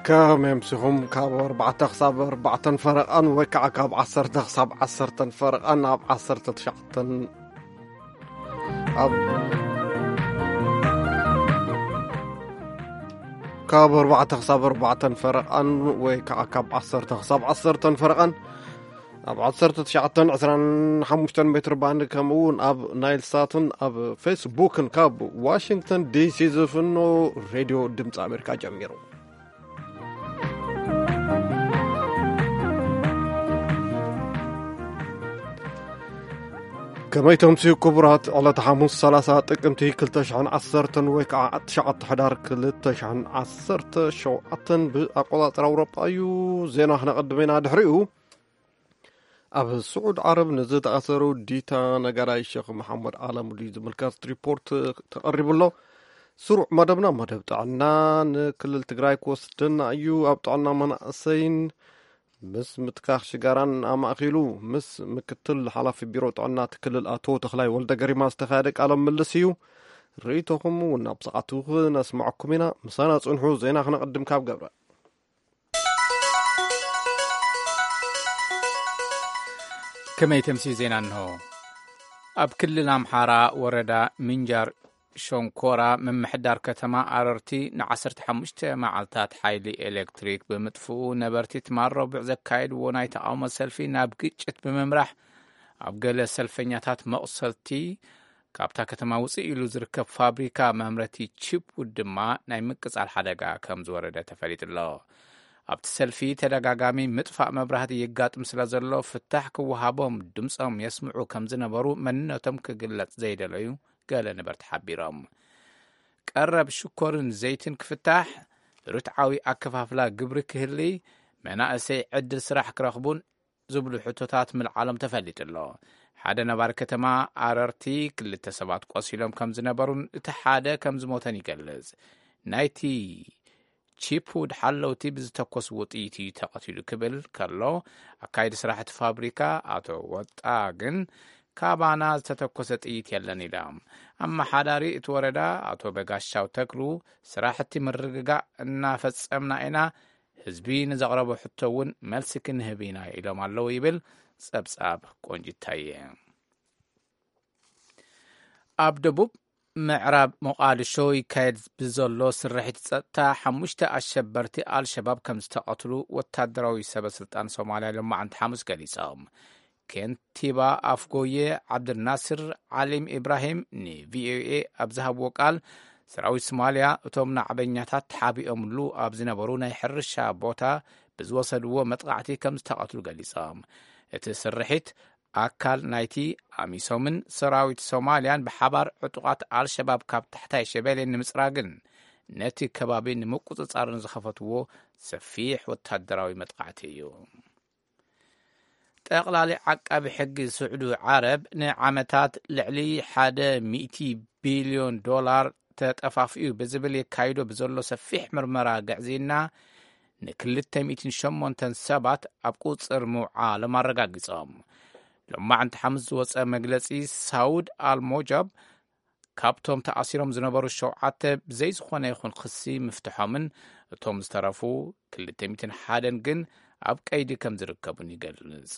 ከመይ ኣምሲኹም? ካብ ኣርባዕተ ክሳብ ኣርባዕተን ፈረቓን ወይ ከዓ ካብ ዓሰርተ ክሳብ ዓሰርተን ፈረቓን ኣብ ዓሰርተ ትሽዓተን ኣብ ካብ ኣርባዕተ ክሳብ ኣርባዕተን ፈረቓን ወይ ከዓ ካብ ዓሰርተ ክሳብ ዓሰርተን ፈረቓን ኣብ ዓሰርተ ትሽዓተን ዕስራን ሓሙሽተን ሜትር ባንድ ከምኡ እውን ኣብ ናይል ሳትን ኣብ ፌስቡክን ካብ ዋሽንግተን ዲሲ ዝፍኖ ሬድዮ ድምፂ ኣሜሪካ ጀሚሩ። ከመይ ተምስዩ ክቡራት፣ ዕለተ ሓሙስ ሰላሳ ጥቅምቲ ክልተ ሽሕን ዓሰርተን ወይ ከዓ ትሽዓተ ሕዳር ክልተ ሽሕን ዓሰርተ ሸውዓተን ብኣቆጻጽራ ኣውሮጳ እዩ። ዜና ክነቐድም ኢና። ድሕሪኡ ኣብ ስዑድ ዓረብ ንዝተኣሰሩ ዲታ ነጋዳይ ሸኽ መሓመድ ዓለሙዲ ዝምልከት ሪፖርት ተቐሪቡ ኣሎ። ስሩዕ መደብና መደብ ጥዕና ንክልል ትግራይ ክወስደና እዩ። ኣብ ጥዕና መናእሰይን ምስ ምትካኽ ሽጋራን ኣማእኪሉ ምስ ምክትል ሓላፊ ቢሮ ጥዕና እቲ ክልል ኣቶ ተኽላይ ወልደ ገሪማ ዝተኻየደ ቃለ ምልልስ እዩ። ርእይቶኹም እውን ኣብ ሰዓቱ ክነስምዐኩም ኢና። ምሳና ጽንሑ። ዜና ክነቐድም ካብ ገብረ። ከመይ ተምስዩ ዜና እንሆ። ኣብ ክልል ኣምሓራ ወረዳ ምንጃር ሸንኮራ ምምሕዳር ከተማ ኣረርቲ ንዓሰርተ ሓሙሽተ መዓልታት ሓይሊ ኤሌክትሪክ ብምጥፍኡ ነበርቲ ትማል ረቡዕ ዘካየድዎ ናይ ተቓውሞ ሰልፊ ናብ ግጭት ብምምራሕ ኣብ ገለ ሰልፈኛታት መቑሰልቲ ካብታ ከተማ ውፅእ ኢሉ ዝርከብ ፋብሪካ መምረቲ ቺፕ ውድ ድማ ናይ ምቅፃል ሓደጋ ከም ዝወረደ ተፈሊጡ ኣሎ። ኣብቲ ሰልፊ ተደጋጋሚ ምጥፋእ መብራህቲ የጋጥም ስለ ዘሎ ፍታሕ ክወሃቦም ድምፆም የስምዑ ከም ዝነበሩ መንነቶም ክግለጽ ዘይደለዩ ገለ ነበርቲ ሓቢሮም። ቀረብ ሽኮርን ዘይትን ክፍታሕ፣ ርትዓዊ ኣከፋፍላ ግብሪ ክህሊ፣ መናእሰይ ዕድል ስራሕ ክረኽቡን ዝብሉ ሕቶታት ምልዓሎም ተፈሊጡ ኣሎ። ሓደ ነባሪ ከተማ ኣረርቲ ክልተ ሰባት ቆሲሎም ከም ዝነበሩን እቲ ሓደ ከም ዝሞተን ይገልጽ። ናይቲ ቺፕውድ ሓለውቲ ብዝተኮስዎ ጥይት እዩ ተቐቲሉ ክብል ከሎ፣ ኣካይዲ ስራሕቲ ፋብሪካ ኣቶ ወጣ ግን ካባና ዝተተኮሰ ጥይት የለን ኢሎም። ኣመሓዳሪ እቲ ወረዳ ኣቶ በጋሻው ተክሉ፣ ስራሕቲ ምርግጋእ እናፈጸምና ኢና፣ ህዝቢ ንዘቕረቦ ሕቶ እውን መልሲ ክንህብ ኢና ኢሎም ኣለዉ ይብል ጸብጻብ ቆንጅታየ። ኣብ ደቡብ ምዕራብ ሞቓድሾ ይካየድ ብዘሎ ስርሒት ጸጥታ ሓሙሽተ ኣሸበርቲ ኣልሸባብ ከም ዝተቐትሉ ወታደራዊ ሰበ ስልጣን ሶማልያ ሎማዕንቲ ሓሙስ ገሊጾም። ከንቲባ ኣፍጎየ ዓብድልናስር ዓሊም ኢብራሂም ንቪኦኤ ኣብ ዝሃብዎ ቃል፣ ሰራዊት ሶማልያ እቶም ናዕበኛታት ተሓቢኦምሉ ኣብ ዝነበሩ ናይ ሕርሻ ቦታ ብዝወሰድዎ መጥቓዕቲ ከም ዝተቐትሉ ገሊጾም። እቲ ስርሒት ኣካል ናይቲ ኣሚሶምን ሰራዊት ሶማልያን ብሓባር ዕጡቓት ኣልሸባብ ካብ ታሕታይ ሸበሌ ንምጽራግን ነቲ ከባቢ ንምቁጽጻርን ዝኸፈትዎ ሰፊሕ ወታደራዊ መጥቓዕቲ እዩ። ጠቕላሊ ዓቃቢ ሕጊ ስዑዲ ዓረብ ንዓመታት ልዕሊ ሓደ ሚእቲ ቢልዮን ዶላር ተጠፋፊኡ ብዝብል የካይዶ ብዘሎ ሰፊሕ ምርመራ ግዕዝይና ንክልተ ሚእትን ሸሞንተን ሰባት ኣብ ቁጽር ምውዓሎም ኣረጋጊጾም። ሎማዕንቲ ሓሙስ ዝወጸ መግለጺ ሳውድ ኣልሞጃብ ካብቶም ተኣሲሮም ዝነበሩ ሸውዓተ ብዘይ ዝኾነ ይኹን ክሲ ምፍትሖምን እቶም ዝተረፉ ክልተ ሚእትን ሓደን ግን ኣብ ቀይዲ ከም ዝርከቡን ይገልጽ።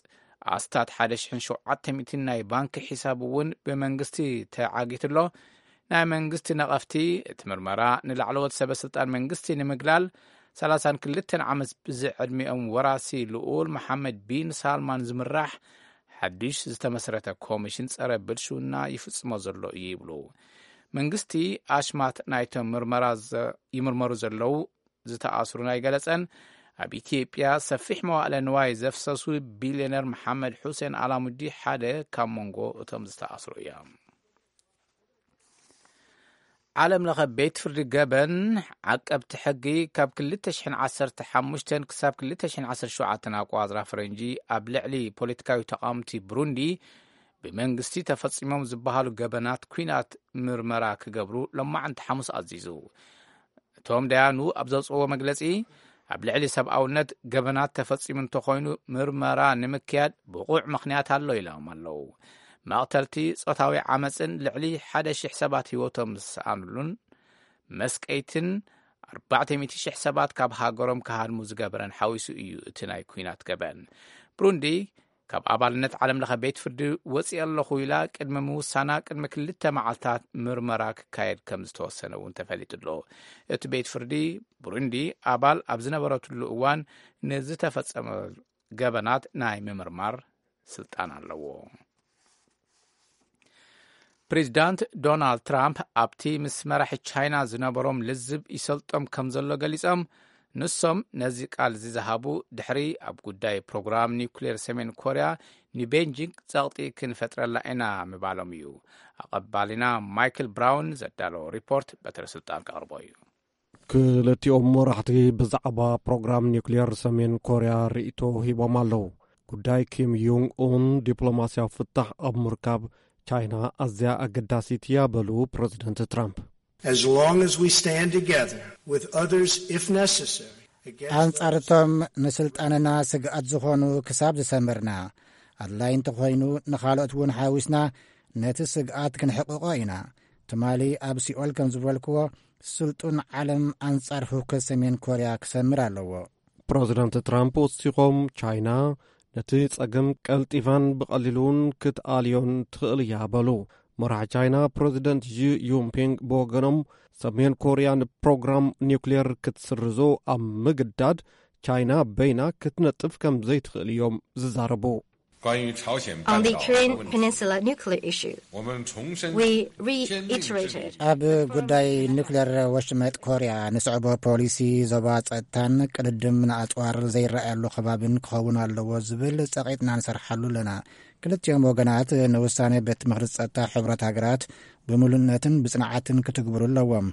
ኣስታት ሓደ ሽሕን ሸውዓተ ሚእትን ናይ ባንኪ ሒሳብ እውን ብመንግስቲ ተዓጊቱ ኣሎ። ናይ መንግስቲ ነቐፍቲ እቲ ምርመራ ንላዕለዎት ሰበ ስልጣን መንግስቲ ንምግላል ሰላሳን ክልተን ዓመት ብዝዕድሚኦም ወራሲ ልኡል መሓመድ ቢን ሳልማን ዝምራሕ ሓድሽ ዝተመስረተ ኮሚሽን ጸረ ብልሽውና ይፍጽሞ ዘሎ እዩ ይብሉ። መንግስቲ ኣሽማት ናይቶም ምርመራ ዘ-፣ ይምርመሩ ዘለዉ ዝተኣስሩን ኣይገለጸን። ኣብ ኢትዮጵያ ሰፊሕ መዋእለ ንዋይ ዘፍሰሱ ቢልዮነር መሓመድ ሑሴን ኣላሙዲ ሓደ ካብ መንጎ እቶም ዝተኣስሩ እዮም። ዓለም ለኸ ቤት ፍርዲ ገበን ዓቀብቲ ሕጊ ካብ ክልተ ሽሕን ዓሰርተ ሓሙሽተን ክሳብ ክልተ ሽሕን ዓሰርተ ሸውዓተን ኣቋጽራ ፈረንጂ ኣብ ልዕሊ ፖለቲካዊ ተቓወምቲ ብሩንዲ ብመንግስቲ ተፈጺሞም ዝበሃሉ ገበናት ኲናት ምርመራ ክገብሩ ሎማዕንቲ ሓሙስ ኣዚዙ። እቶም ደያኑ ኣብ ዘውፅዎ መግለፂ፣ ኣብ ልዕሊ ሰብኣውነት ገበናት ተፈፂሙ እንተኾይኑ ምርመራ ንምክያድ ብቑዕ ምኽንያት ኣሎ ኢሎም ኣለዉ። መቕተልቲ፣ ጾታዊ ዓመፅን ልዕሊ ሓደ ሺሕ ሰባት ህይወቶም ዝሰኣኑሉን መስቀይትን ኣርባዕተ ሚእቲ ሽሕ ሰባት ካብ ሃገሮም ክሃድሙ ዝገበረን ሓዊሱ እዩ እቲ ናይ ኲናት ገበን። ብሩንዲ ካብ ኣባልነት ዓለም ለኸ ቤት ፍርዲ ወፂአ ኣለኹ ኢላ ቅድሚ ምውሳና ቅድሚ ክልተ መዓልታት ምርመራ ክካየድ ከም ዝተወሰነ እውን ተፈሊጡ ኣሎ። እቲ ቤት ፍርዲ ብሩንዲ ኣባል ኣብ ዝነበረትሉ እዋን ንዝተፈጸመ ገበናት ናይ ምምርማር ስልጣን ኣለዎ። ፕሬዚዳንት ዶናልድ ትራምፕ ኣብቲ ምስ መራሒ ቻይና ዝነበሮም ልዝብ ይሰልጦም ከም ዘሎ ገሊጾም፣ ንሶም ነዚ ቃል ዝዝሃቡ ድሕሪ ኣብ ጉዳይ ፕሮግራም ኒውክሌር ሰሜን ኮርያ ንቤንጂንግ ጸቕጢ ክንፈጥረላ ኢና ምባሎም እዩ። ኣቐባሊና ማይክል ብራውን ዘዳለዎ ሪፖርት በትረ ስልጣን ከቕርቦ እዩ። ክልቲኦም መራሕቲ ብዛዕባ ፕሮግራም ኒውክሌር ሰሜን ኮርያ ርእይቶ ሂቦም ኣለዉ። ጉዳይ ኪም ዩንግ ኡን ዲፕሎማስያዊ ፍታሕ ኣብ ምርካብ ቻይና ኣዝያ ኣገዳሲት እያ በሉ ፕረዚደንት ትራምፕ። As long as we stand together with others, if necessary, against ኣንጻርቶም ንስልጣንና ስግኣት ዝኾኑ ክሳብ ዝሰምርና፣ ኣድላይ እንተኾይኑ ንኻልኦት እውን ሓዊስና ነቲ ስግኣት ክንሕቕቖ ኢና። ትማሊ ኣብ ሲኦል ከም ዝበልክዎ፣ ስልጡን ዓለም ኣንጻር ህውከት ሰሜን ኮርያ ክሰምር ኣለዎ። ፕረዚደንት ትራምፕ ወሲኾም፣ ቻይና ነቲ ጸገም ቀልጢፋን ብቐሊሉን ክትኣልዮን ትኽእል እያ በሉ። መራሒ ቻይና ፕረዚደንት ዢ ዩንፒንግ ብወገኖም፣ ሰሜን ኮርያ ንፕሮግራም ኒውክሌር ክትስርዞ ኣብ ምግዳድ ቻይና በይና ክትነጥፍ ከም ዘይትኽእል እዮም ዝዛረቡ። On the Korean Peninsula nuclear issue, 我们重申 we reiterated ኣብ ጉዳይ ኒውክሌር ወሽመጥ ኮርያ ንስዕቦ ፖሊሲ ዞባ ጸጥታን ቅድድም ንኣጽዋር ዘይረኣየሉ ከባቢን ክኸውን ኣለዎ ዝብል ጸቒጥና ንሰርሓሉ ኣለና። ክልቲኦም ወገናት ንውሳኔ ቤት ምኽሪ ጸጥታ ሕብረት ሃገራት ብምሉእነትን ብጽንዓትን ክትግብሩ ኣለዎም።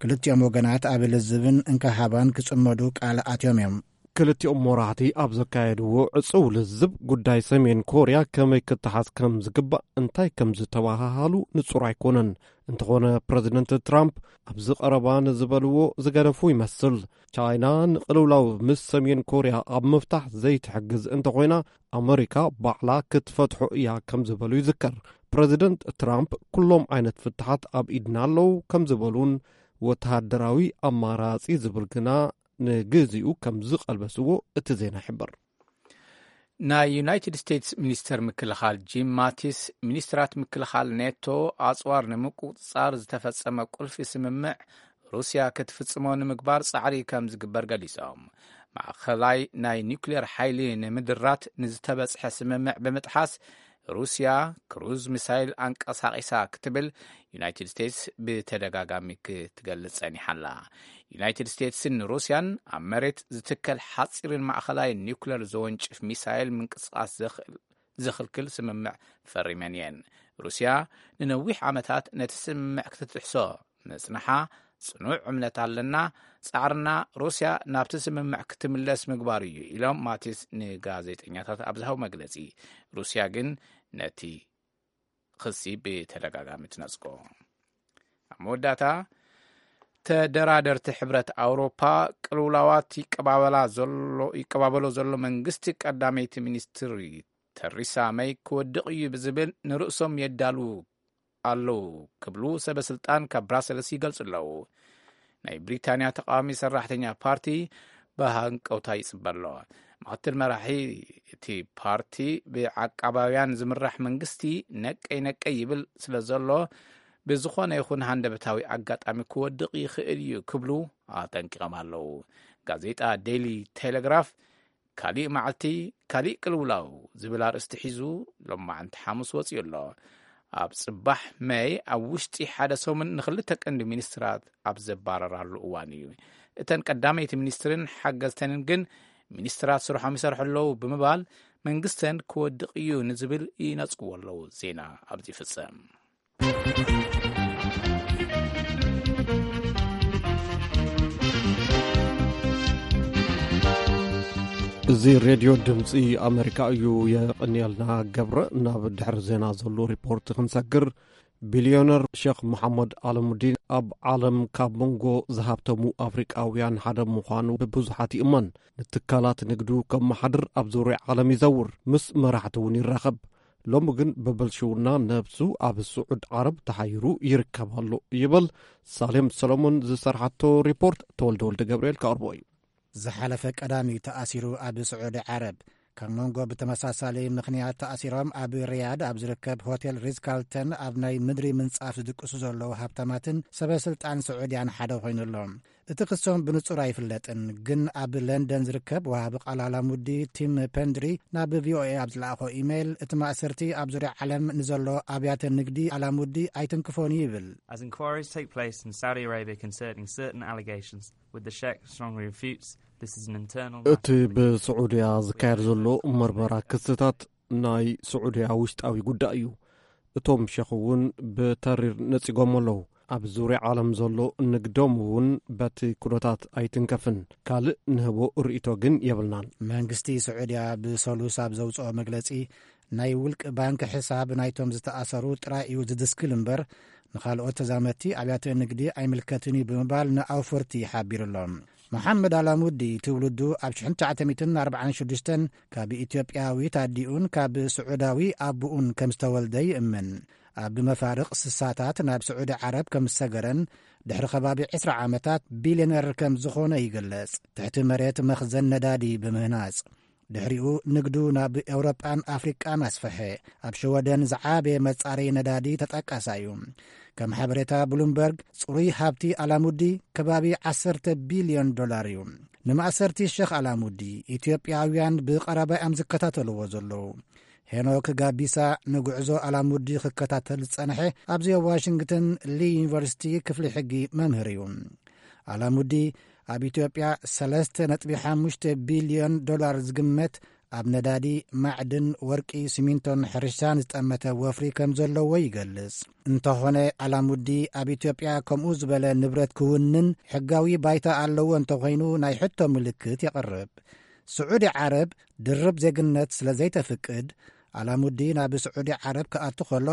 ክልቲኦም ወገናት ኣብ ልዝብን እንካሃባን ክጽመዱ ቃል ኣትዮም እዮም። ክልቲኦም መራሕቲ ኣብ ዘካየድዎ ዕጹው ልዝብ፣ ጉዳይ ሰሜን ኮርያ ከመይ ክተሓዝ ከም ዝግባእ፣ እንታይ ከም ዝተባሃሃሉ ንጹር ኣይኮነን። እንተኾነ፣ ፕረዚደንት ትራምፕ ኣብዚ ቀረባ ንዝበልዎ ዝገደፉ ይመስል። ቻይና ንቅልውላው ምስ ሰሜን ኮርያ ኣብ ምፍታሕ ዘይትሕግዝ እንተኾይና፣ ኣመሪካ ባዕላ ክትፈትሖ እያ ከም ዝበሉ ይዝከር። ፕረዚደንት ትራምፕ፣ ኩሎም ዓይነት ፍትሓት ኣብ ኢድና ኣለዉ ከም ዝበሉን፣ ወተሃደራዊ ኣማራጺ ዝብል ግና ንግዚኡ ከም ዝቐልበስዎ እቲ ዜና ይሕብር። ናይ ዩናይትድ ስቴትስ ሚኒስተር ምክልኻል ጂም ማቲስ፣ ሚኒስትራት ምክልኻል ኔቶ ኣጽዋር ንምቁጽጻር ዝተፈጸመ ቁልፊ ስምምዕ ሩስያ ክትፍጽሞ ንምግባር ጻዕሪ ከም ዝግበር ገሊጾም። ማእኸላይ ናይ ኒውክሌር ሓይሊ ንምድራት ንዝተበጽሐ ስምምዕ ብምጥሓስ፣ ሩስያ ክሩዝ ሚሳይል ኣንቀሳቒሳ ክትብል ዩናይትድ ስቴትስ ብተደጋጋሚ ክትገልጽ ጸኒሓ ኣላ። ዩናይትድ ስቴትስን ሩስያን ኣብ መሬት ዝትከል ሓጺርን ማእኸላይ ኒውክለር ዘወንጭፍ ሚሳይል ምንቅስቓስ ዘኽእል፣ ዝኽልክል ስምምዕ ፈሪመን እየን። ሩስያ ንነዊሕ ዓመታት ነቲ ስምምዕ ክትጥሕሶ ምጽንሓ ጽኑዕ እምነት ኣለና። ጻዕርና ሩስያ ናብቲ ስምምዕ ክትምለስ ምግባር እዩ ኢሎም ማቲስ ንጋዜጠኛታት ኣብ ዝሃቡ መግለጺ። ሩስያ ግን ነቲ ክሲ ብተደጋጋሚ ትነጽጎ። ኣብ መወዳእታ፣ ተደራደርቲ ሕብረት ኣውሮፓ ቅልውላዋት ይቀባበላ ዘሎ፣ ይቀባበሎ ዘሎ መንግስቲ ቀዳመይቲ ሚኒስትሪ ተሪሳ መይ ክወድቕ እዩ ብዝብል ንርእሶም የዳሉ ኣለዉ ክብሉ ሰበ ስልጣን ካብ ብራሰልስ ይገልጹ ኣለዉ። ናይ ብሪታንያ ተቃዋሚ ሰራሕተኛ ፓርቲ ብሃንቀውታ ይጽበ ኣሎ። ምክትል መራሒ እቲ ፓርቲ ብዓቃባውያን ዝምራሕ መንግስቲ ነቀይ ነቀይ ይብል ስለ ዘሎ፣ ብዝኾነ ይኹን ሃንደበታዊ ኣጋጣሚ ክወድቕ ይኽእል እዩ ክብሉ ኣጠንቂቖም ኣለዉ። ጋዜጣ ዴይሊ ቴሌግራፍ፣ ካሊእ መዓልቲ ካሊእ ቅልውላው ዝብል ኣርእስቲ ሒዙ ሎማዕንቲ ሓሙስ ወጺኡ ኣሎ። ኣብ ጽባሕ መይ ኣብ ውሽጢ ሓደ ሰሙን ንኽልተ ቀንዲ ሚኒስትራት ኣብ ዘባረራሉ እዋን እዩ። እተን ቀዳመይቲ ሚኒስትርን ሓገዝተንን ግን ሚኒስትራት ስርሖም ይሰርሑ ኣለዉ ብምባል መንግስተን ክወድቕ እዩ ንዝብል ይነጽግዎ ኣለዉ። ዜና ኣብዚ ይፍጸም። እዚ ሬድዮ ድምፂ ኣሜሪካ እዩ። የቐንየልና ገብረ። ናብ ድሕሪ ዜና ዘሎ ሪፖርት ክንሰግር፣ ቢልዮነር ሼክ መሓመድ ኣለሙዲን ኣብ ዓለም ካብ መንጎ ዝሃብተሙ ኣፍሪቃውያን ሓደ ምዃኑ ብብዙሓት ይእመን። ንትካላት ንግዱ ከመሓድር ኣብ ዙርያ ዓለም ይዘውር፣ ምስ መራሕቲ እውን ይራኸብ። ሎሚ ግን ብብልሽውና ነብሱ ኣብ ስዑድ ዓረብ ተሓይሩ ይርከብ ኣሎ ይብል። ሳሌም ሰሎሞን ዝሰርሓቶ ሪፖርት ተወልደ ወልደ ገብርኤል ከቕርቦ እዩ። ዝሓለፈ ቀዳሚ ተኣሲሩ ኣብ ስዑዲ ዓረብ። ካብ መንጎ ብተመሳሳሊ ምኽንያት ተኣሲሮም ኣብ ሪያድ ኣብ ዝርከብ ሆቴል ሪዝ ካርልተን ኣብ ናይ ምድሪ ምንጻፍ ዝድቅሱ ዘለዉ ሃብታማትን ሰበ ስልጣን ስዑድያን ሓደ ኮይኑ ኣሎ። እቲ ክሶም ብንጹር ኣይፍለጥን፣ ግን ኣብ ለንደን ዝርከብ ወሃቢ ቃል ኣላሙዲ ቲም ፐንድሪ ናብ ቪኦኤ ኣብ ዝለኣኾ ኢሜይል፣ እቲ ማእሰርቲ ኣብ ዙርያ ዓለም ንዘሎ ኣብያተ ንግዲ ኣላሙዲ ኣይትንክፎን እዩ ይብል። As inquiries take place in Saudi Arabia concerning certain allegations, with the Sheikh strongly refutes this is an internal እቲ ብስዑድያ ዝካየድ ዘሎ መርመራ ክስታት ናይ ስዑድያ ውሽጣዊ ጉዳይ እዩ። እቶም ሸኽ እውን ብተሪር ነጺጎም ኣለዉ። ኣብ ዙርያ ዓለም ዘሎ ንግዶም እውን በቲ ኩነታት ኣይትንከፍን። ካልእ ንህቦ ርእይቶ ግን የብልናን። መንግስቲ ስዑድያ ብሰሉስ ኣብ ዘውፅኦ መግለፂ፣ ናይ ውልቂ ባንክ ሕሳብ ናይቶም ዝተኣሰሩ ጥራይ እዩ ዝድስክል እምበር፣ ንኻልኦት ተዛመድቲ ኣብያተ ንግዲ ኣይምልከትን እዩ ብምባል ንኣውፈርቲ ሓቢሩ ኣሎ። መሓመድ ኣላሙዲ ትውልዱ ኣብ ሽሕን ትሽዓተ ሚእትን ኣርባዓን ሽዱሽተን ካብ ኢትዮጵያዊት ኣዲኡን ካብ ስዑዳዊ ኣቦኡን ከም ዝተወልደ ይእምን። ኣብ መፋርቕ ስሳታት ናብ ስዑዲ ዓረብ ከም ዝሰገረን ድሕሪ ከባቢ ዕስራ ዓመታት ቢልዮነር ከም ዝኾነ ይግለጽ። ትሕቲ መሬት መኽዘን ነዳዲ ብምህናጽ ድሕሪኡ ንግዱ ናብ ኤውሮጳን ኣፍሪቃን ኣስፈሐ። ኣብ ሽወደን ዝዓበየ መጻረዪ ነዳዲ ተጠቃሳይ እዩ። ከም ሓበሬታ ብሉምበርግ፣ ጽሩይ ሃብቲ ኣላሙዲ ከባቢ ዓሰርተ ቢልዮን ዶላር እዩ። ንማእሰርቲ ሸኽ ኣላሙዲ ኢትዮጵያውያን ብቐረባ እዮም ዝከታተልዎ ዘለዉ። ሄኖክ ጋቢሳ ንጉዕዞ ኣላሙዲ ክከታተል ዝጸንሐ ኣብዚ ኣብ ዋሽንግተን ሊ ዩኒቨርሲቲ ክፍሊ ሕጊ መምህር እዩ። ኣላሙዲ ኣብ ኢትዮጵያ ሰለስተ ነጥቢ ሓሙሽተ ቢልዮን ዶላር ዝግመት ኣብ ነዳዲ፣ ማዕድን፣ ወርቂ፣ ሲሚንቶን ሕርሻን ዝጠመተ ወፍሪ ከም ዘለዎ ይገልጽ። እንተኾነ ኣላሙዲ ኣብ ኢትዮጵያ ከምኡ ዝበለ ንብረት ክውንን ሕጋዊ ባይታ ኣለዎ እንተኾይኑ ናይ ሕቶ ምልክት የቕርብ። ስዑዲ ዓረብ ድርብ ዜግነት ስለ ዘይተፍቅድ ኣላሙዲ ናብ ስዑዲ ዓረብ ክኣቱ ከሎ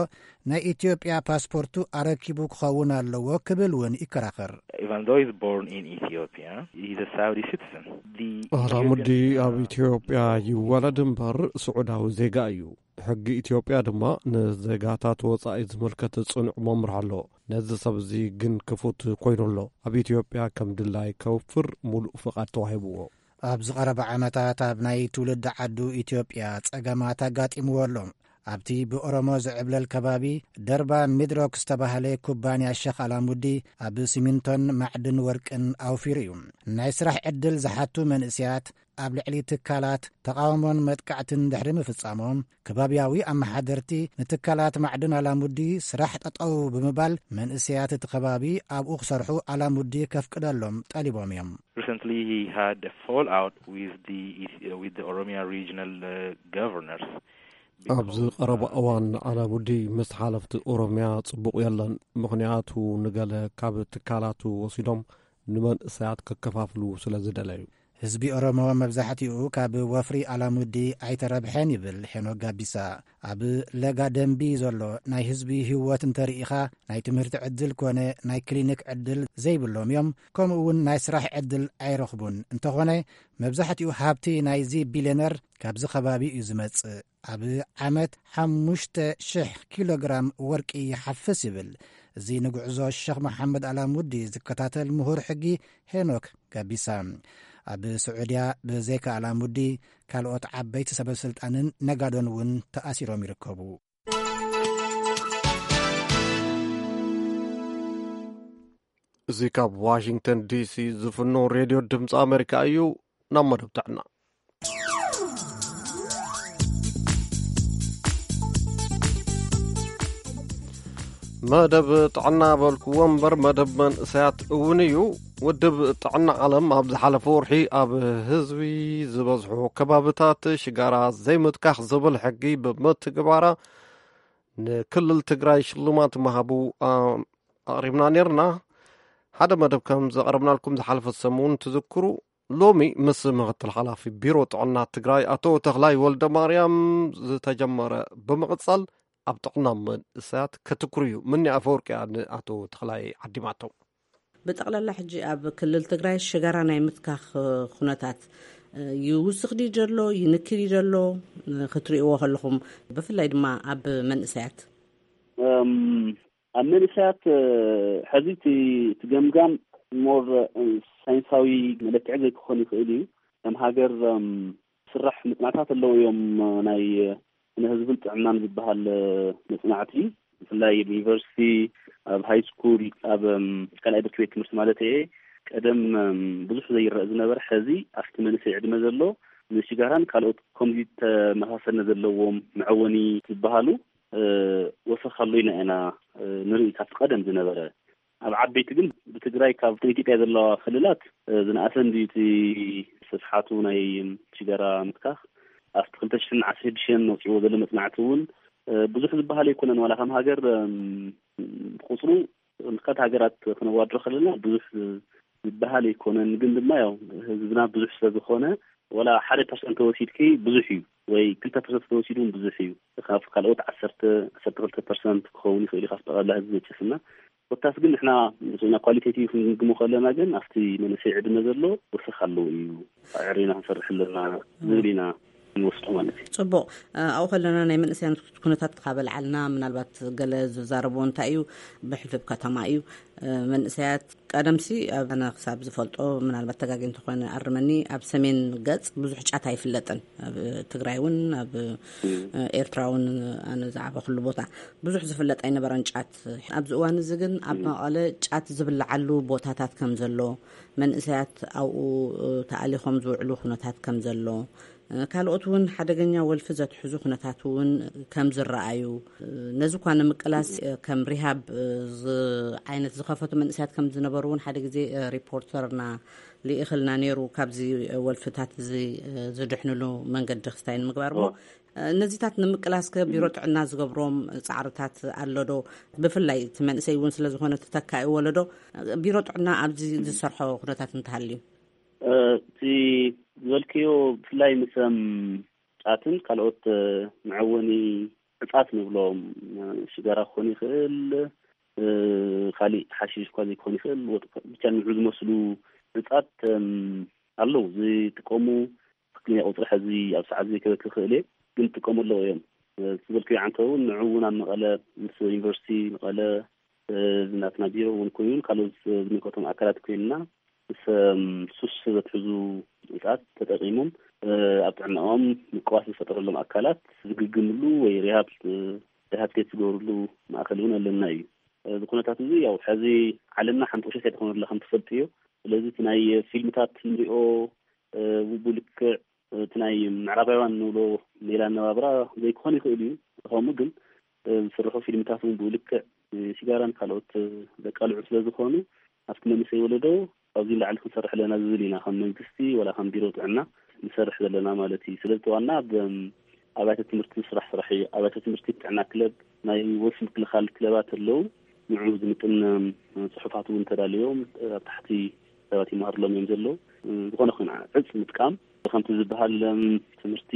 ናይ ኢትዮጵያ ፓስፖርቱ ኣረኪቡ ክኸውን ኣለዎ ክብል እውን ይከራኸር። Even though he's born in Ethiopia, he's a Saudi citizen. The ኣላሙዲ Ethiopian ኣብ ኢትዮጵያ ይወለድ እምበር ስዑዳዊ ዜጋ እዩ። ሕጊ ኢትዮጵያ ድማ ንዜጋታት ወጻኢ ዝምልከት ጽኑዕ መምርሒ ኣሎ። ነዚ ሰብ እዚ ግን ክፉት ኮይኑ ኣሎ። ኣብ ኢትዮጵያ ከም ድላይ ከውፍር ሙሉእ ፍቓድ ተዋሂብዎ። ኣብ ዝቐረበ ዓመታት ኣብ ናይ ትውልዲ ዓዱ ኢትዮጵያ ጸገማት ኣጋጢምዎ ኣሎ። ኣብቲ ብኦሮሞ ዝዕብለል ከባቢ ደርባ ሚድሮክ ዝተባህለ ኩባንያ ሸኽ ኣላሙዲ ኣብ ሲሚንቶን ማዕድን ወርቅን ኣውፊሩ እዩ። ናይ ስራሕ ዕድል ዝሓቱ መንእስያት ኣብ ልዕሊ ትካላት ተቓውሞን መጥቃዕትን ድሕሪ ምፍጻሞም፣ ከባብያዊ ኣመሓደርቲ ንትካላት ማዕድን ኣላሙዲ ስራሕ ጠጠው ብምባል፣ መንእስያት እቲ ከባቢ ኣብኡ ክሰርሑ ኣላሙዲ ከፍቅደሎም ጠሊቦም እዮም። Recently, he had a fallout with the, with the Oromia regional, uh, governors. ኣብዚ ቀረባ እዋን ኣላሙዲ ምስ ሓለፍቲ ኦሮምያ ጽቡቕ የለን፣ ምኽንያቱ ንገለ ካብ ትካላቱ ወሲዶም ንመንእሰያት ከከፋፍሉ ስለ ዝደለዩ። ህዝቢ ኦሮሞ መብዛሕትኡ ካብ ወፍሪ ኣላሙዲ ኣይተረብሐን ይብል ሄኖክ ጋቢሳ። ኣብ ለጋ ደንቢ ዘሎ ናይ ህዝቢ ህይወት እንተርኢኻ፣ ናይ ትምህርቲ ዕድል ኮነ ናይ ክሊኒክ ዕድል ዘይብሎም እዮም። ከምኡ እውን ናይ ስራሕ ዕድል ኣይረኽቡን። እንተኾነ መብዛሕትኡ ሃብቲ ናይዚ ቢልዮነር ካብዚ ከባቢ እዩ ዝመጽእ። ኣብ ዓመት ሓሙሽተ ሽሕ ኪሎ ግራም ወርቂ ይሓፍስ ይብል። እዚ ንጉዕዞ ሸኽ መሓመድ ኣላሙዲ ዝከታተል ምሁር ሕጊ ሄኖክ ጋቢሳ። ኣብ ስዑድያ ብዘይካ ኣላሙዲ ካልኦት ዓበይቲ ሰበ ስልጣንን ነጋዶን እውን ተኣሲሮም ይርከቡ። እዚ ካብ ዋሽንግተን ዲሲ ዝፍኖ ሬድዮ ድምፂ ኣሜሪካ እዩ። ናብ መደብ ጥዕና። መደብ ጥዕና በልክዎ እምበር መደብ መንእሰያት እውን እዩ። ውድብ ጥዕና ዓለም ኣብ ዝሓለፈ ወርሒ ኣብ ህዝቢ ዝበዝሑ ከባብታት ሽጋራ ዘይምትካኽ ዝብል ሕጊ ብምትግባራ ንክልል ትግራይ ሽልማት ምሃቡ፣ ኣ-፣ ኣቕሪብና ነይርና። ሓደ መደብ ከም ዘቕረብናልኩም ዝሓለፈ ሰሙን ትዝክሩ። ሎሚ ምስ ምክትል ሓላፊ ቢሮ ጥዕና ትግራይ ኣቶ ተኽላይ ወልደ ማርያም ዝተጀመረ ብምቕጻል ኣብ ጥዕና መንእሰያት ከትኩር እዩ። ምኒ ኣፈወርቅያ ንኣቶ ተኽላይ ዓዲማቶ። ብጠቕላላ ሕጂ ኣብ ክልል ትግራይ ሽጋራ ናይ ምትካኽ ኩነታት ይውስኽ ድዩ ዘሎ፣ ይንክድ ድዩ ዘሎ ክትርእይዎ ከለኹም፣ ብፍላይ ድማ ኣብ መንእሰያት? እም፣ ኣብ መንእሰያት፣ እ፣ ሕዚ እቲ፣ እቲ ገምጋም ሞር፣ እ፣ ሳይንሳዊ መለክዒ ዘይክኾን ይኽእል እዩ። ከም ሃገር፣ እም፣ ስራሕ ምጽናታት ኣለዉ እዮም። ናይ ስነ ህዝብን ጥዕናን ዝበሃል፣ እ፣ መጽናዕቲ፣ ብፍላይ ኣብ ዩኒቨርሲቲ፣ ኣብ ሃይ ስኩል፣ ኣብ፣ እም፣ ካልኣይ ብርኪ ቤት ትምህርቲ ማለት እየ፣ ቀደም፣ እም፣ ብዙሕ ዘይረአ ዝነበረ፣ ሕዚ ኣብቲ መንእሰይ ዕድመ ዘሎ ንሽጋራን ካልኦት ከምዚ ተመሳሰልነት ዘለዎም መዐወኒ ዝበሃሉ፣ እ፣ ወሰኽ ኣሎ ኢና ኢና፣ እ፣ ንርኢ ካብቲ ቀደም ዝነበረ። ኣብ ዓበይቲ ግን ብትግራይ ካብ ኢትዮጵያ ዘለዋ ክልላት፣ እ፣ ዝነኣሰ እንድዩ እቲ ስፍሓቱ ናይ ሽጋራ ምትካኽ። ኣብቲ ክልተ ሽሕን ዓሰርተ ሽዱሽተን ወፂዎ ዘሎ መፅናዕቲ እውን፣ እ፣ ብዙሕ ዝበሃል ኣይኮነን። ዋላ ከም ሃገር፣ እም፣ ብቁፅሩ ምክልካት ሃገራት ክነዋድሮ ከለና ብዙሕ ዝበሃል ኣይኮነን። ግን ድማ ያው ህዝብና ብዙሕ ስለ ዝኾነ፣ ዋላ ሓደ ፐርሰንት ተወሲድኪ ብዙሕ እዩ፣ ወይ ክልተ ፐርሰንት ተወሲዱ እውን ብዙሕ እዩ። ካብ ካልኦት ዓሰርተ፣ ዓሰርተ ክልተ ፐርሰንት ክኸውን ይኽእል እዩ፣ ካብ ጠቕላላ ህዝቢ መቸስና። ኮታስ ግን ንሕና ንስና ኳሊቴቲቭ ክንግምግሞ ከለና ግን ኣብቲ መንእሰይ ዕድመ ዘሎ ወሰኽ ኣለዎ እዩ። ኣዕሪና ክንሰርሕ ኣለና ዝብል ኢና ንወስዶ ማለት እዩ። ጽቡቕ። እ፣ ኣብኡ ከለና ናይ መንእሰያን ኩነታት ካብ ኣልዓልና፣ ምናልባት ገለ ዝዛረብዎ እንታይ እዩ፣ ብሕልፊ ኣብ ከተማ እዩ። እ፣ መንእሰያት ቀደምሲ ኣብ፣ ኣነ ክሳብ ዝፈልጦ፣ ምናልባት ተጋጊ እንተኾይነ ኣርመኒ፣ ኣብ ሰሜን ገጽ ብዙሕ ጫት ኣይፍለጥን። ኣብ ትግራይ እውን፣ ኣብ፣ እ፣ ኤርትራ እውን፣ ኣነ ዝዓበኹሉ ቦታ ብዙሕ ዝፍለጥ ኣይነበረን ጫት። ኣብዚ እዋን እዚ ግን ኣብ መቐለ ጫት ዝብልዓሉ ቦታታት ከም ዘሎ፣ መንእሰያት ኣብኡ፣ እ፣ ተኣሊኾም ዝውዕሉ ኩነታት ከም ዘሎ፣ እ፣ ካልኦት እውን ሓደገኛ ወልፊ ዘትሕዙ ኩነታት እውን ከም ዝረኣዩ፣ እ፣ ነዚ እኳ ንምቅላስ፣ እ፣ ከም ሪሃብ፣ እ፣ ዝ-፣ ዓይነት ዝኸፈቱ መንእሰያት ከም ዝነበሩ እውን ሓደ ግዜ፣ እ፣ ሪፖርተርና ልኢኽልና ነይሩ። ካብዚ፣ እ፣ ወልፍታት እዚ፣ እ፣ ዝድሕንሉ መንገዲ ክስታይ ንምግባር እሞ፣ እ፣ ነዚታት ንምቅላስ ከ ቢሮ ጥዕና ዝገብሮም ጻዕርታት ኣሎ ዶ? ብፍላይ እቲ መንእሰይ እውን ስለ ዝኾነ ተተካኢ ወለዶ፣ እ፣ ቢሮ ጥዕና ኣብዚ ዝሰርሖ ኩነታት እንተሃልዩ? እ፣ እቲ ዝበልክዮ ብፍላይ ምስ፣ እም፣ ጫትን ካልኦት፣ እ፣ መዐወኒ ዕጻት ንብሎም፣ እ፣ ሽጋራ ክኾን ይኽእል፣ እ፣ ካሊእ ሓሺሽ እኳ ዘይክኾን ይኽእል፣ ወጥ-፣ ብቻ ንዑ ዝመስሉ ዕጻት፣ እም፣ ኣለዉ። ዝጥቀሙ ትክክለኛ ቁጽሪ ሕዚ ኣብ ሰዓት ዘይከበክ ይኽእል እየ፣ ግን ዝጥቀሙ ኣለዉ እዮም። እ፣ ዝበልክዮ ዓንተው ንዑ እውን ኣብ መቐለ ምስ ዩኒቨርሲቲ መቐለ፣ እ፣ ናትና ቢሮ እውን ኮይኑ፣ ካልኦት ዝምልከቶም ኣካላት ኮይንና፣ ምስ፣ እም፣ ሱስ ዘትሕዙ ዕጻት ተጠቂሞም፣ እ፣ ኣብ ጥዕናኦም ምቅዋስ ዝፈጠረሎም ኣካላት ዝግግምሉ ወይ ሪሃብ፣ እ፣ ሪሃብቴት ዝገብርሉ ማእከል እውን ኣለና እዩ። እ፣ እዚ ኩነታት እዚ ያው ሕዚ ዓለምና ሓንቲ ቁሸት ኣይትኾነ ኣላ ከም ትፈልጥዮ። ስለዚ እቲ ናይ ፊልምታት ንሪኦ፣ እ፣ ብልክዕ እቲ ናይ ምዕራባውያን ንብሎ ሜላ ኣነባብራ ዘይክኾን ይኽእል እዩ። ከምኡ ግን፣ እ፣ ዝስርሑ ፊልምታት እውን ብኡ ልክዕ፣ እ፣ ሲጋራን ካልኦት፣ እ፣ ዘቃልዑ ስለ ዝኾኑ፣ ኣብቲ መንእሰይ ወለዶ ካብዚ ንላዕሊ ክንሰርሕ ኣለና ዝብል ኢና፣ ከም መንግስቲ ወላ ከም ቢሮ ጥዕና ንሰርሕ ዘለና ማለት እዩ። ስለዚ እቲ ዋና ኣብ፣ እም፣ ኣብያተ ትምህርቲ ዝስራሕ ስራሕ እዩ። ኣብያተ ትምህርቲ ጥዕና ክለብ፣ ናይ ወልፊ ምክልኻል ክለባት ኣለዉ። ንዑ ዝምጥን፣ እም፣ ጽሑፋት እውን ተዳልዮም፣ እ፣ ኣብ ታሕቲ ሰባት ይመሃርሎም እዮም ዘለዉ። እ፣ ዝኾነ ኾነ ዕጽ ምጥቃም፣ ከምቲ ዝበሃል፣ እም፣ ትምህርቲ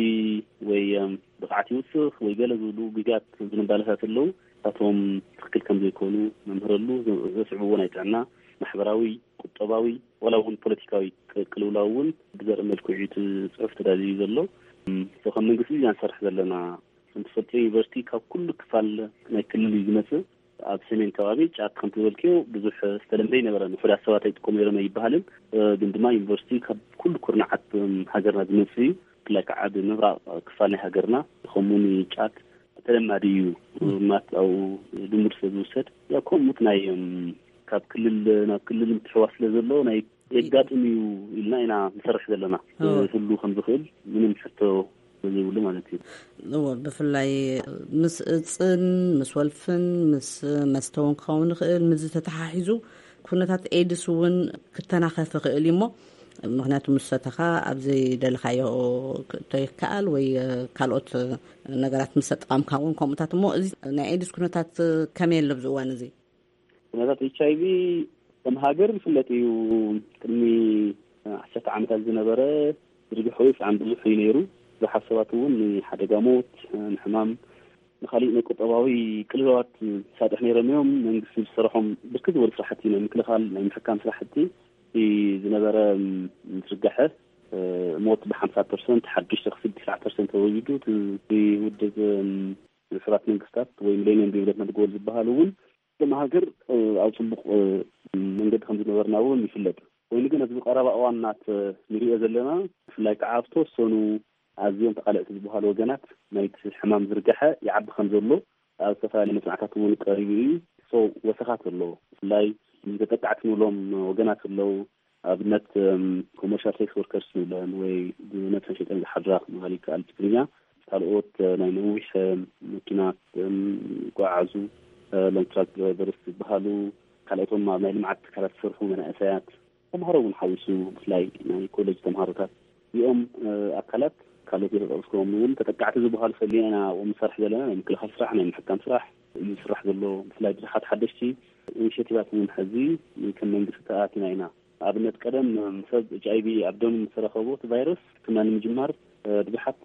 ወይ፣ እም፣ ብቕዓት ይውስኽ ወይ ገለ ዝብሉ ግዜያት ዝንባለታት ኣለዉ። እሳቶም ትኽክል ከም ዘይኮኑ ነምህረሉ፣ ዘ-፣ ዘስዕብዎ ናይ ጥዕና፣ ማሕበራዊ፣ ቁጠባዊ፣ ዋላ እውን ፖለቲካዊ ቅ-፣ ቅልውላው እውን ብዘርኢ መልክዑ እዩ እቲ ጽሑፍ ተዳልዩ ዘሎ። እም፣ so ከም መንግስቲ ኢና ንሰርሕ ዘለና። ከም ትፈልጥዮ ዩኒቨርሲቲ ካብ ኩሉ ክፋል ናይ ክልል እዩ ዝመጽእ። ኣብ ሰሜን ከባቢ ጫት ከም ትበልክዮ ብዙሕ ዝተለምደ ኣይነበረን። ውሑዳት ሰባት ኣይጥቀሙ ነይሮም ኣይበሃልን። እ፣ ግን ድማ ዩኒቨርሲቲ ካብ ኩሉ ኩርናዓት፣ እም፣ ሃገርና ዝመጽእ እዩ። ብፍላይ ከዓ ኣብ ምብራቕ ክፋል ናይ ሃገርና ከምኡውን ጫት ተለማዲ እዩ። ማት ኣብኡ ልሙድ ስለ ዝውሰድ፣ ያው ከምኡት ናይ፣ እም፣ ካብ ክልል ናብ ክልል ምትሕዋስ ስለ ዘሎ ናይ የጋጥም እዩ ኢልና ኢና ንሰርሕ ዘለና። ኦ። ክህሉ ከም ዝኽእል ምንም ሕቶ ዘይብሉ ማለት እዩ። እዎ፣ ብፍላይ ምስ እጽን፣ ምስ ወልፍን፣ ምስ መስተ እውን ክኸውን ይኽእል። ምስዚ ተተሓሒዙ ኩነታት ኤድስ እውን ክተናኸፍ ይኽእል እዩ እሞ፣ ምኽንያቱ ምስ ሰተኻ ኣብ ዘይደለኻዮ ክእቶ ይከኣል ወይ ካልኦት ነገራት ምስ ተጠቐምካ እውን ከምኡታት እሞ፣ እዚ ናይ ኤድስ ኩነታት ከመይ ኣሎ ኣብዚ እዋን እዚ? ኩነታት ኤች ኣይ ቪ ከም ሃገር ዝፍለጥ እዩ። ቅድሚ ዓሰርተ ዓመታት ዝነበረ ዝርግሐ ወይ ብጣዕሚ ብዙሕ እዩ ነይሩ። ብዙሓት ሰባት እውን ንሓደጋ ሞት፣ ንሕማም፣ ንኻሊእ ናይ ቁጠባዊ ቅልውላዋት ሳጥሕ ነይሮም እዮም። መንግስቲ ዝሰርሖም ብርክት ዝበሉ ስራሕቲ ናይ ምክልኻል፣ ናይ ምሕካም ስራሕቲ እቲ ዝነበረ ዝርጋሐ ሞት ብሓምሳ ፐርሰንት፣ ሓዱሽ ተኽሲ ብትስዓ ፐርሰንት ተወሊዱ። እቲ ውድብ ሕቡራት መንግስታት ወይ ሚሌኒየም ዴቨሎፕመንት ጎል ዝበሃል እውን ከም ሃገር ኣብ ፅቡቕ መንገዲ ከም ዝነበርና እውን ይፍለጥ። ኮይኑ ግን ኣብዚ ቀረባ እዋናት ንሪኦ ዘለና፣ ብፍላይ ከዓ ኣብ ተወሰኑ ኣዝዮም ተቓለዕቲ ዝበሃሉ ወገናት ናይቲ ሕማም ዝርጋሐ ይዓቢ ከም ዘሎ ኣብ ዝተፈላለዩ መፅናዕታት እውን ቀሪቡ እዩ። ሶ ወሰኻት ኣለዎ። ብፍላይ ተጠቃዕቲ ንብሎም ወገናት ኣለዉ። ኣብነት ኮመርሻል ሴክስ ወርከርስ ንብለን ወይ ብነብሰን ሸጠን ዝሓድራ ክበሃል ይከኣል ብትግርኛ። ካልኦት ናይ ነዊሕ መኪና ዝጓዓዙ ሎንግ ትራክ ድራይቨርስ ዝበሃሉ፣ ካልኦቶም ኣብ ናይ ልምዓት ትካላት ዝሰርሑ መናእሰያት፣ ተምሃሮ እውን ሓዊሱ ብፍላይ ናይ ኮሌጅ ተምሃሮታት እዚኦም ኣካላት ካልኦት የተጠቅስኩም እውን ተጠቃዕቲ ዝበሃሉ ፈሊና ኢና ንሰርሕ ዘለና። ናይ ምክልኻል ስራሕ፣ ናይ ምሕካም ስራሕ እዩ ዝስራሕ ዘሎ። ብፍላይ ብዙሓት ሓደሽቲ ኢኒሽቲቫት እውን ሕዚ ከም መንግስቲ ተኣቲና ኢና። ኣብነት ቀደም ሰብ ኤች ኣይ ቪ ኣብ ደሙ ምስ ተረኸቦ እቲ ቫይረስ ሕክምና ንምጅማር ብዙሓት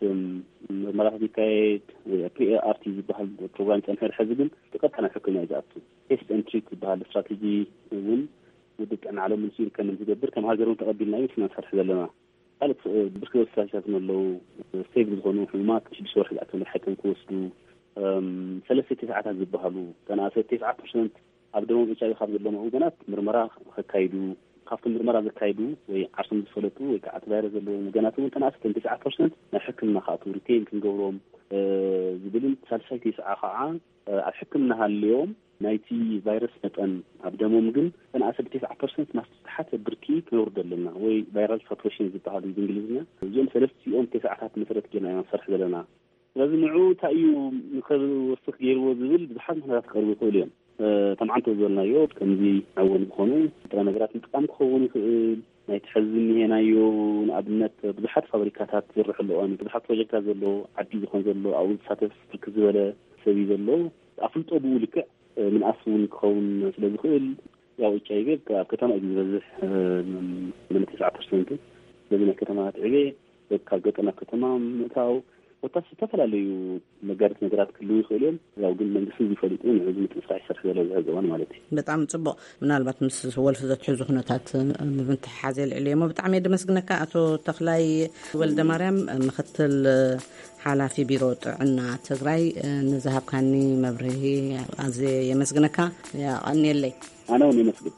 ምርመራታት ይካየድ። ፕሪ ኣር ቲ ዝበሃል ፕሮግራም ይፀንሐ። ሕዚ ግን ብቀጥታ ናብ ሕክምና እዩ ዝኣቱ። ቴስት ኤንድ ትሪት ዝበሃል ስትራቴጂ እውን ውድብ ጥዕና ዓለም ምስ ይርከብ ዝገብር ከም ሃገር እውን ተቐቢልናዮ ንሕና ንሰርሕ ዘለና። ካልእ ብርክት ዝበሉ ስትራቴጂታት እውን ኣለዉ። ስቴብል ዝኾኑ ሕሙማት ሽዱሽተ ወርሒ ዝኣክል መድሓኒቶም ክወስዱ፣ ሰለስተ ቴስዓታት ዝበሃሉ ተናእሰ ቴስዓ ፐርሰንት ኣብ ደሞም ኤች ኣይ ቪ ካብ ዘለዎም ወገናት ምርመራ ከካይዱ፣ ካብቶም ምርመራ ዘካይዱ ወይ ዓርሶም ዝፈለጡ ወይ ከዓ እቲ ቫይረስ ዘለዎም ወገናት እውን ተናእሰ ቴስዓ ፐርሰንት ናብ ሕክምና ክኣትዉ ሪቴን ክንገብሮም ዝብልን ሳልሳይ ቴስዓ ከዓ ኣብ ሕክምና ሃልዮም ናይቲ ቫይረስ መጠን ኣብ ደሞም ግን ተናእሰ ብቴስዓ ፐርሰንት ናብ ዝተሓተ ብርኪ ክነውርዶ ኣለና ወይ ቫይራል ሳቱሬሽን ዝበሃል ብእንግሊዝኛ። እዚኦም ሰለስቲኦም ቴስዓታት መሰረት ጌርና ኢና ንሰርሕ ዘለና። ስለዚ ንዑ እንታይ እዩ ንኸወስኽ ገይርዎ ዝብል ብዙሓት ምኽንያታት ክቐርቡ ይኽእሉ እዮም። ተማዓንቶ ዝበልናዮ ከምዚ ኣወን ዝኾኑ ጥረ ነገራት ምጥቃም ክኸውን ይኽእል። ናይቲ ሕዚ እኒሄናዮ ንኣብነት ብዙሓት ፋብሪካታት ዝስርሑ ኣለዋን ብዙሓት ፕሮጀክታት ዘለዎ ዓዲ ዝኾን ዘሎ ኣብኡ ዝሳተፍ ብርክት ዝበለ ሰብ እዩ ዘሎ። ኣፍልጦ ብኡ ልክዕ ምንኣስ እውን ክኸውን ስለ ዝኽእል ያው ኤች ኣይ ቪ ኣብ ከተማ እዩ ዝበዝሕ። ምን ተስዓ ፐርሰንት ስለዚ ናይ ከተማታት ዕቤ ካብ ገጠር ናብ ከተማ ምእታው ኮታስ ዝተፈላለዩ መጋደት ነገራት ክህልዉ ይኽእሉ እዮም። ያው ግን መንግስቲ ዝፈልጡ ንሕዚ ምትንሳሕ ይሰርሕ ዘሎ ዝሕዚ እዋን ማለት እዩ። በጣም ጽቡቕ። ምናልባት ምስ ወልፊ ዘትሕዙ ኩነታት ብምትሕሓዝ የልዕሉ እሞ ብጣዕሚ እየ ደመስግነካ ኣቶ ተኽላይ ወልደ ማርያም፣ ምክትል ሓላፊ ቢሮ ጥዕና ትግራይ፣ ንዝሃብካኒ መብርሂ ኣዝየ የመስግነካ። ያቐንየለይ። ኣነ እውን የመስግን።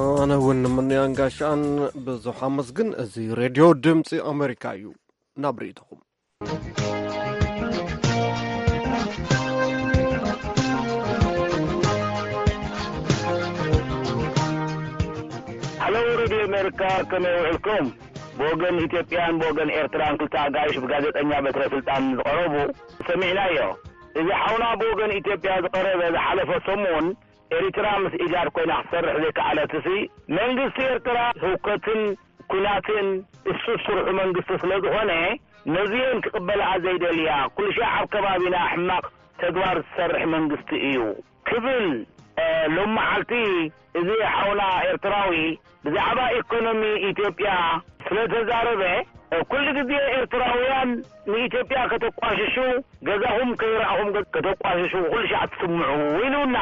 ኣነ እውን ንምንያን ጋሻን ብዙሕ ኣመስግን። እዚ ሬድዮ ድምፂ ኣሜሪካ እዩ። ናብ ርእይቶኹም። ሃሎ ሬድዮ ኣሜሪካ፣ ከመይ ውዕልኩም? ብወገን ኢትዮጵያን ብወገን ኤርትራን ክልተ ኣጋይሽ ብጋዜጠኛ በትረ ስልጣን ዝቐረቡ ሰሚዕናዮ። እዚ ሓውና ብወገን ኢትዮጵያ ዝቐረበ ዝሓለፈ ሰሙን ኤሪትራ ምስ ኢጋድ ኮይና ክትሰርሕ ዘይከኣለትሲ መንግስቲ ኤርትራ ህውከትን ኩናትን እሱ ስርሑ መንግስቲ ስለ ዝኾነ ነዚኤን ክቕበልኣ ዘይደልያ ኩልሻዕ ኣብ ከባቢና ሕማቕ ተግባር ዝሰርሕ መንግስቲ እዩ ክብል ሎም መዓልቲ እዚ ሓውና ኤርትራዊ ብዛዕባ ኢኮኖሚ ኢትዮጵያ ስለ ተዛረበ ኩሉ ግዜ ኤርትራውያን ንኢትዮጵያ ከተቋሽሹ ገዛኹም ከይረኣኹም ከተቋሽሹ ኩሉ ሻዕ ትስምዑ ኢሉና።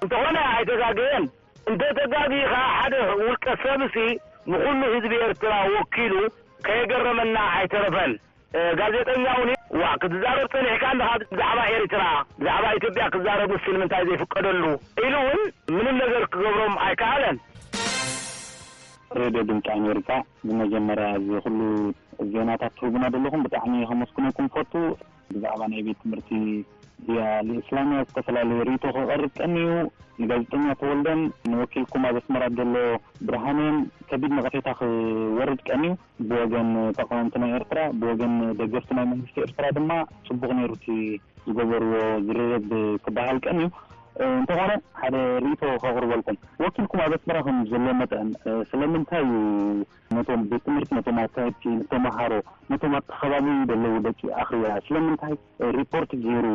እንተኾነ ኣይተጋገየን። እንተ ተጋጊኻ ሓደ ውልቀ ሰብሲ ንኹሉ ህዝቢ ኤርትራ ወኪሉ ከየገረመና ኣይተረፈን። ጋዜጠኛ እውን ዋ ክትዛረብ ጸኒሕካ እንድኻ ብዛዕባ ኤርትራ ብዛዕባ ኢትዮጵያ ክዛረብ ንሱ ንምንታይ ዘይፍቀደሉ ኢሉ እውን ምንም ነገር ክገብሮም ኣይከኣለን። ሬድዮ ድምፂ ኣሜሪካ ብመጀመርያ እዚ ኩሉ ዜናታት ትህቡና ዘለኹም ብጣዕሚ ከመስግነኩም ፈቱ። ብዛዕባ ናይ ቤት ትምህርቲ ዲያ ልእስላምያ ዝተፈላለዩ ርእይቶ ክቐርብ ቀንዩ ንጋዜጠኛ ተወልደን ንወኪልኩም ኣብ ኣስመራ ዘሎ ብርሃንን ከቢድ ነቐፌታ ክወርድ ቀንዩ ብወገን ተቃወምቲ ናይ ኤርትራ ብወገን ደገፍቲ ናይ መንግስቲ ኤርትራ ድማ ጽቡቕ ነይሩ እቲ ዝገበርዎ ዝርርብ ክበሃል ቀንዩ። እንተኾነ ሓደ ርእይቶ ከቕርበልኩም ወኪልኩም ኣብ ኣስመራ ከም ዘሎ መጠን ስለምንታይ እዩ ነቶም ቤት ትምህርቲ ነቶም ኣካየድቲ ንተምሃሮ ነቶም ኣብቲ ከባቢ ዘለዉ ደቂ ኣኽርያ ስለምንታይ ሪፖርት ገይሩ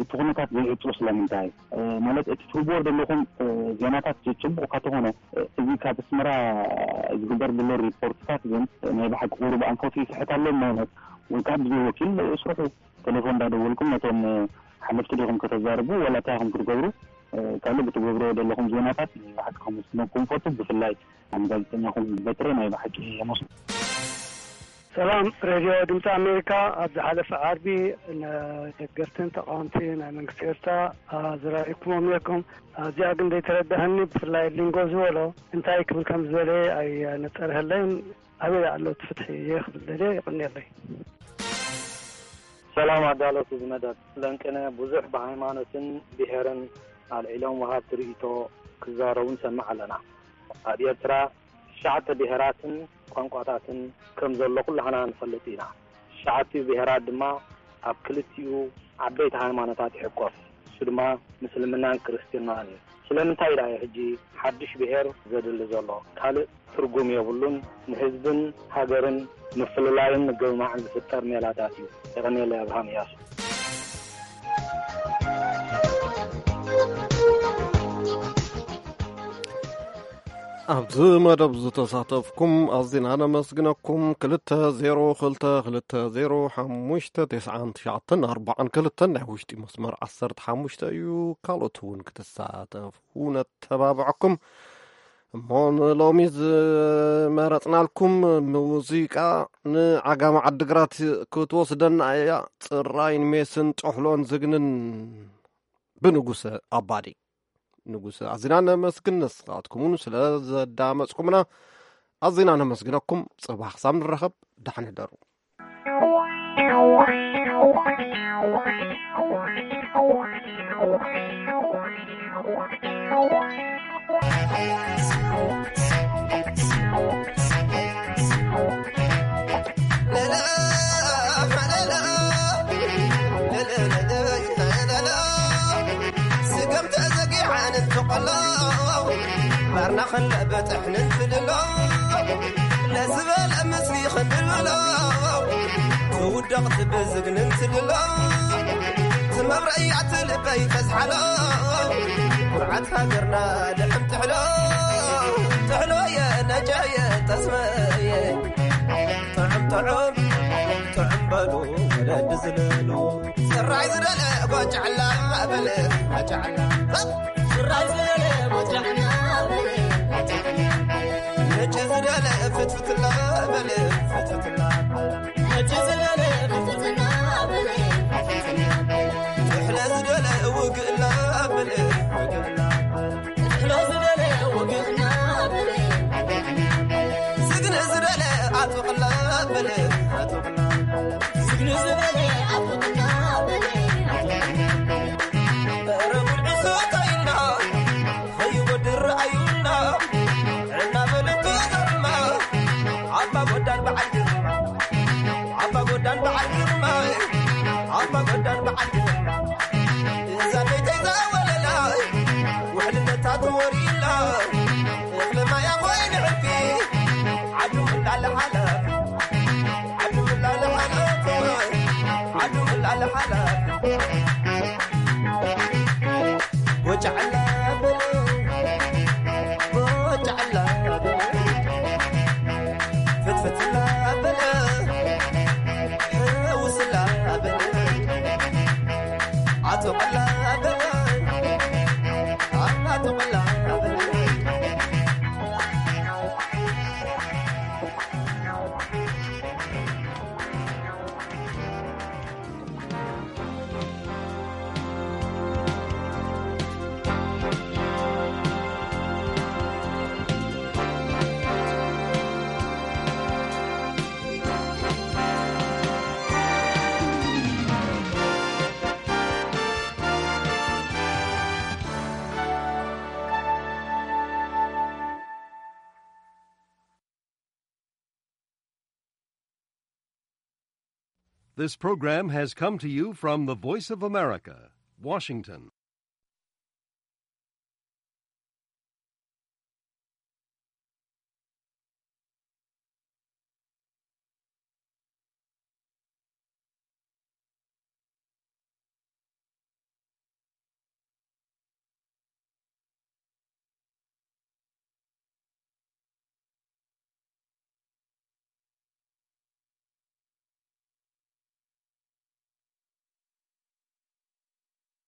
እቲ ኩነታት ዘይዕፁ ስለምንታይ ማለት እቲ ትህብዎ ዘለኹም ዜናታት ጽቡቕ እኳ ተኾነ እዚ ካብ ኣስመራ ዝግበር ዘሎ ሪፖርትታት ግን ናይ ብሓቂ ቁሩብ ኣንፈቱ ይስሕት ኣሎ ማለት ወይ ከዓ ብዘይ ወኪል ስርሑ ቴሌፎን እንዳደወልኩም ነቶም ሓለፍቲ ዲኹም ከተዛርቡ ዋላ እንታይ ኢኹም ክትገብሩ ካልእ ብትገብርዎ ዘለኹም ዜናታት ብሓቂ ከመስግነኩም ፈቱ። ብፍላይ ንጋዜጠኛኹም በትረ ናይ ብሓቂ የመስግን። ሰላም ሬድዮ ድምፂ ኣሜሪካ። ኣብ ዝሓለፈ ዓርቢ ንደገፍትን ተቃወምቲ ናይ መንግስቲ ኤርትራ ኣዘራሪብኩሞም ነርኩም። ኣብዚኣ ግን ዘይተረዳህኒ፣ ብፍላይ ሊንጎ ዝበሎ እንታይ ክብል ከም ዝበለ ኣይነፀርሀለይን። ኣበይ ኣሎ እቲ ፍትሒ እየ ክብል ደልየ። ይቕንየለይ። ሰላም ኣዳለውቲ እዚ መደብ። ለንቅነ ብዙሕ ብሃይማኖትን ብሄርን ኣልዒሎም ወሃብቲ ርእይቶ ክዛረቡ ንሰምዕ ኣለና። ኣብ ኤርትራ ትሽዓተ ብሄራትን ቋንቋታትን ከም ዘሎ ኩላህና ንፈልጥ ኢና። ትሽዓቲኡ ብሄራት ድማ ኣብ ክልቲኡ ዓበይቲ ሃይማኖታት ይሕቆፍ። እሱ ድማ ምስልምናን ክርስትናን እዩ። ስለምንታይ ደኣ እዩ ሕጂ ሓድሽ ብሄር ዘድሊ ዘሎ? ካልእ ትርጉም የብሉን። ንህዝብን ሃገርን ምፍልላይን ምግምማዕን ዝፍጠር ሜላታት እዩ። የቐንየለይ። ኣብርሃም እያሱ። ኣብዚ መደብ ዝተሳተፍኩም ኣዚና ነመስግነኩም። ክልተ ዜሮ ክልተ ክልተ ዜሮ ሓሙሽተ ተስዓን ትሽዓተን ኣርባዓን ክልተን ናይ ውሽጢ መስመር ዓሰርተ ሓሙሽተ እዩ። ካልኦት እውን ክትሳተፉ ነተባብዐኩም። እሞ ንሎሚ ዝመረጽናልኩም ሙዚቃ ንዓጋመ ዓድግራት ክትወስደና እያ። ጽራይን ሜስን ጥሕሎን ዝግንን ብንጉሰ ኣባዲ። ንጉሰ ኣዚና ነመስግን። ንስኻትኩም እውን ስለ ዘዳመጽኩምና ኣዚና ነመስግነኩም። ጽባሕ ክሳብ ንራኸብ ደሓን ሕደሩ። ስገም ተዘጊዓ ንትቆሎ ባርና ክንበጥሕ ንንትልሎ ለዝበለ ምስሊ ክንብሎ ትውደቕ ትብዝግ ንንትልሎ ትመብረያ ትልበይ ተዝሓሎ ኩርዓት ሃገርና ልሕም ጥሕሎ ጥሕሎየ ነጨየ ጠስመየ ጥዑም ጥዑም ጥዑም በሉ ወለዲ ዝለሉ ጽራይ ዝደለ ጎጫዕላ በለ ጎጫዕላ ጽራይ ዝደለ ጎጫዕላ በለ ጎጫዕላ ነጭ ዝደለ ፍትፍትላ በለ ፍትፍትላ ነጭ ዝደለ ፍትፍትላ በለ ፍትፍትላ ጥሕለ ዝደለ ውግእላ በለ ውግእላ ስግነ ዝበለ ኣጥብቕላ በለ ኣጥብቕላ ስግነ ዝበለ ኣጥብቕላ በለ ኣጥብቕላ በረ ጉልዒ ሰታይና ኸይወድር ኣዩና እናበለት ተገርማ ኣባ ጎዳን በዓል ግርማ ኣባ ጎዳን በዓል ግርማ ኣባ ጎዳን በዓል ግርማ እዛ ቤተይ ዘወለላ ውሕልነታ ተወሪላ እኽሊ ማያ ኮይኑ ዕቢ ዓዱ ምላለ ሓላ ዓዱ ምላለ ሓላ ዓዱ ምላለ ሓላ ወጫዕላ በለ ወጫዕላ በለ ፍትፍትላ በለ ውስላ በለ ኣጥቕላ በለ ኣጥቕላ በለ This program has come to you from the Voice of America, Washington.